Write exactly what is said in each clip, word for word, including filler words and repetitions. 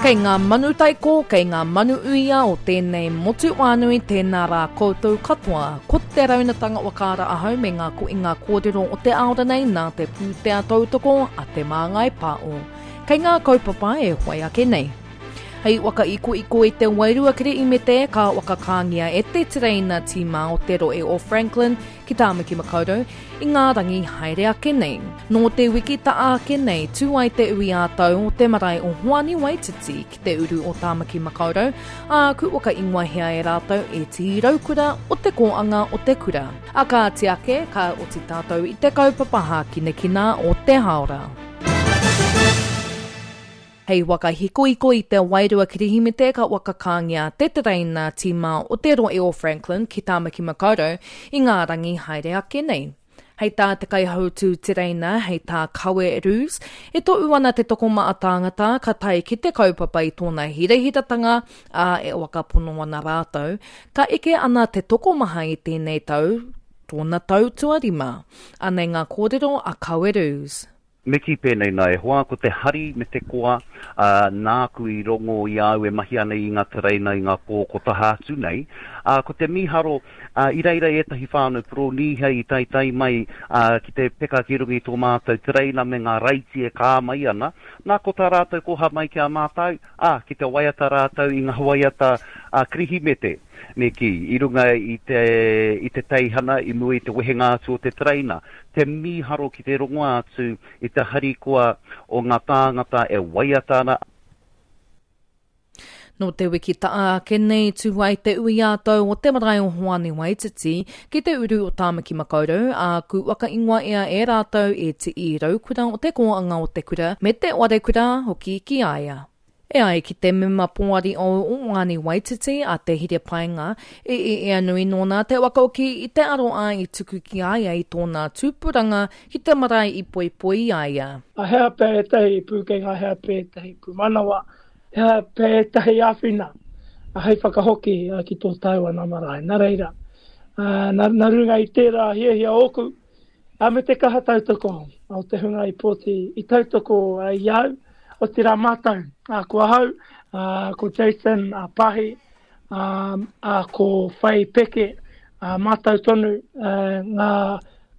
Kei ngā manu taiko, kei ngā manu uia o tēnei motu wānui, tēnā rā koutou katoa. Ko te raunatanga wakaara ahau me ngā koinga kōrero o te aora nei nā te pūtea tautoko a Te Māngai Pāo. Kei ngā kaupapa e whai ake nei. Hei waka ikoiko i te wairua Kirihimete ka whakakāngia e te tereina tīma o te rohe o Franklin ki Tāmaki Makaurau i ngā rangi haere ake nei. Nō te wiki ta'a ake nei, tū ai te ui ā-tau o te marae o Hoani Waititi ki te uru o Tāmaki Makaurau, ā, ku whakaingoahia e rātou e Tihi Raukura o te kōanga o te kura. A kāti ake, ka oti tātou i te kaupapa hākinakina o te hāora. Hei waka hikoiko i te wairua Kirihimete ka whakakāngia te tereina tīma o te rohe o Franklin ki Tāmaki Makaurau i ngā rangi haere ake nei. Hei tā te kaihautū tereina, hei tā Kawe Roos, e tohu ana te tokomaha tāngata ka tae ki te kaupapa i tōna hirahiratanga, ā, e whakapono ana rātou, ka eke ana te tokomaha i tēnei tau, tōna tau tuarima. Anei ngā kōrero a Kawe Roos. Me kī pēnei nā e hoa, ko te hari me te koa, ā, nāku i rongo i a au e mahi ana i ngā tereina i ngā pō ko taha atu nei, ā, ko te mīharo, ā, i reira ētahi whānau Poronīhia i taetae mai, ā, ki te peka ki runga i tō mātou tereina me ngā raiti e kā mai ana, nā, ko tā rātou koha mai ki a mātou, ā, ki te waiata rātou i ngā waiata, ā, Kirihimete, me kī, i runga i te, i te teihana i mua i te wehenga atu o te tereina. Te mīharo ki te rongo atu i te harikoa o ngā tāngata e waiata ana. Nō te wiki ta'a ake nei tū ai te ui ā-tau o te marae o Hoani Waititi ki te uru o Tāmaki Makaurau, ā, ku whakaingoa ia e rātou e Tii Raukura o te kōanga o te kura me te wharekura hoki ki a ia. E ai ki te mema poari o Hoani Waititi a Te Hire Paenga, e ea nui nōna te whakaoki i te aroā i tuku ki a ia i tōna tūpuranga ki te marae i poipoi i a ia. A hea pea ētahi pūkenga, hea pea ētahi pūmanawa, hea pea ētahi āwhina hei whakahoki ki tō tāua nā marae. Nā reira, nā, nā runga i tērā hiahia ōku, a me te kaha tautoko o te hunga i pōti i tautoko i au, otirā mātou, a, ko ahau, a, ko Jason a Pahi, a, a, ko Whai Peke, a, mātou tonu a, ngā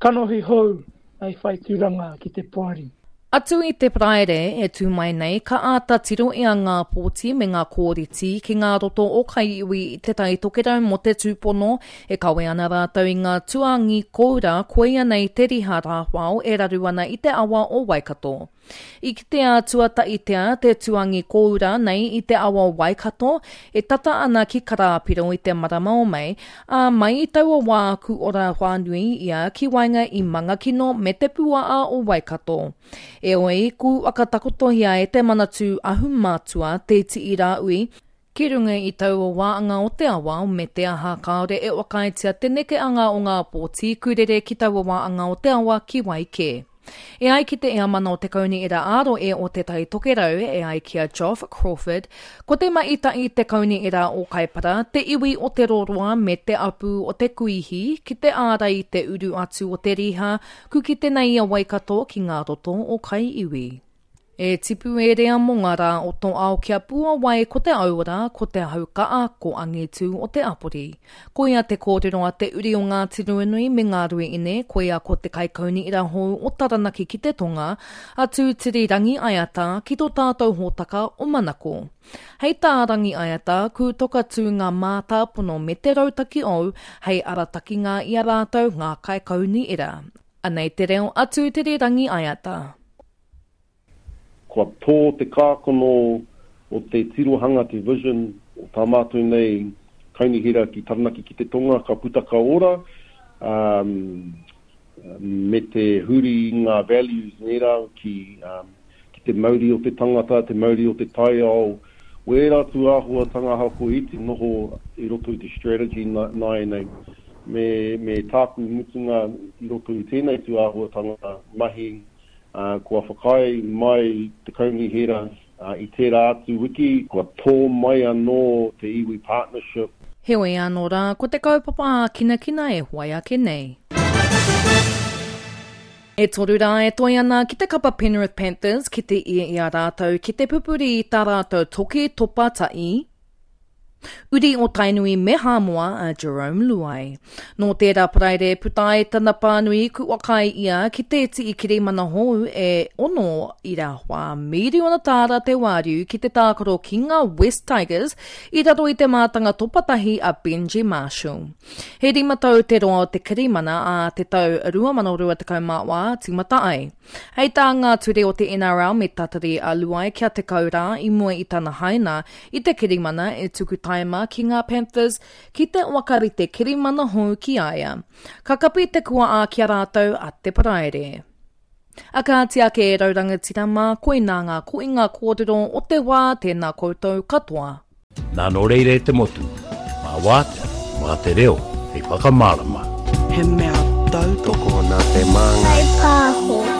kanohi hou i whai tūranga ki te poari. Atu i te Paraire e tū mai nei, ka āta tiro ia ngā pōti me ngā kōriti ki ngā roto o Kaiiwi i Te Tai Tokerau mō te tūpono e kawe ana rātou i ngā tuangi koura koia nei te riha rāwhao e raru ana i te awa o Waikato. I kitea tuatahitia te tuangi kōura nei i te awa o Waikato e tata ana ki Karāpiro i te marama o Mei, ā, mai i taua wā ku ora whānui ia ki waenga i Mangakino me te puaa o Waikato. Eoi, ku whakatakotohia e te Manatū Ahumatua Te Tii Rāui, ki runga i taua wāanga o te awa me te aha kāore e whakaaetia te nekeanga o ngā pōti kurere ki taua wāanga o te awa ki wai kē. E ai ki te eamana o te Kaunihera ā-rohe o Te Tai Tokerau, e ai ki a Geoff Crawford, ko te maita'i te Kaunihera o Kaipara, te iwi o Te Roroa me te apu o te Kuihi ki te ārai i te uru atu o te riha ku kite nei a Waikato ki ngā roto o Kaiiwi. E tipu e rea mō ngā rā o tō ao kia puawai ko te auora, ko te haukaa, ko angitu o te apori. Koia te kōrero a te uri o Ngāti Ruanui me Ngā Ruiine, koia ko te kaikaunihera hou o Taranaki ki te tonga, a Tūtiri Rangiaiata ki tō tātou hōtaka o Manako. Hei tā Rangiaiata, kūtoka tū ngā mātāpono me te rautaki ou hei aratakinga i a rātou ngā kaikaunihera. Anei te reo a Tūtiri Rangiaiata. Kua tō te kākano o te tirohanga, te vision o tā mātou nei kaunihera ki Taranaki ki te tonga, ka puta ka ora, um, me te huri i ngā values nērā ki, um, ki te mauri o te tangata, te mauri o te taiao, wērā tūāhuatanga ahakoa iti noho i roto i te strategy nāianei. Me, me tāku mutunga i roto i tēnei tūāhuatanga mahi, Uh, kua whakaae mai te kaunihera uh, i tērā atu wiki, kua tō mai anō te iwi partnership. Heoi anō rā, ko te kaupapa ākinakina e whai ake nei. E toru rā e toe ana ki te kapa Penrith Panthers ki te ia i a rātou ki te pupuri i tā rātou toki topa ta'i, Uri o Tainui me Hāmoa a Jerome Luai. Nō tērā Paraire puta ai tana pānui kua kai ia ki te tii kirimana hou e ono ira whā miriona tāra te wāriu ki te tākaro ki ngā West Tigers i raro i te mātanga topatahi a Benji Marshall. He rima tau te roa o te kirimana a te tau rua mano rua tekau mā wā tīmata ai. Hei tā ngā ture o te N R L me tatari a Luai kia tekau rā i mua i tana haina i te kirimana e tuku taima ki ngā Panthers ki te wakarite kirimana hou ki a ia. Ka kapi te kua ā ki a rātou a te Paraire. A kāti ake e rau rangatira mā, koinā ngā koinga kōrero o te wā tēnā koutou katoa. Nā nō reira e te motu, mā wātea, mā te reo, hei whakamārama. He mea tautoko nā te māngai. Kai pāho.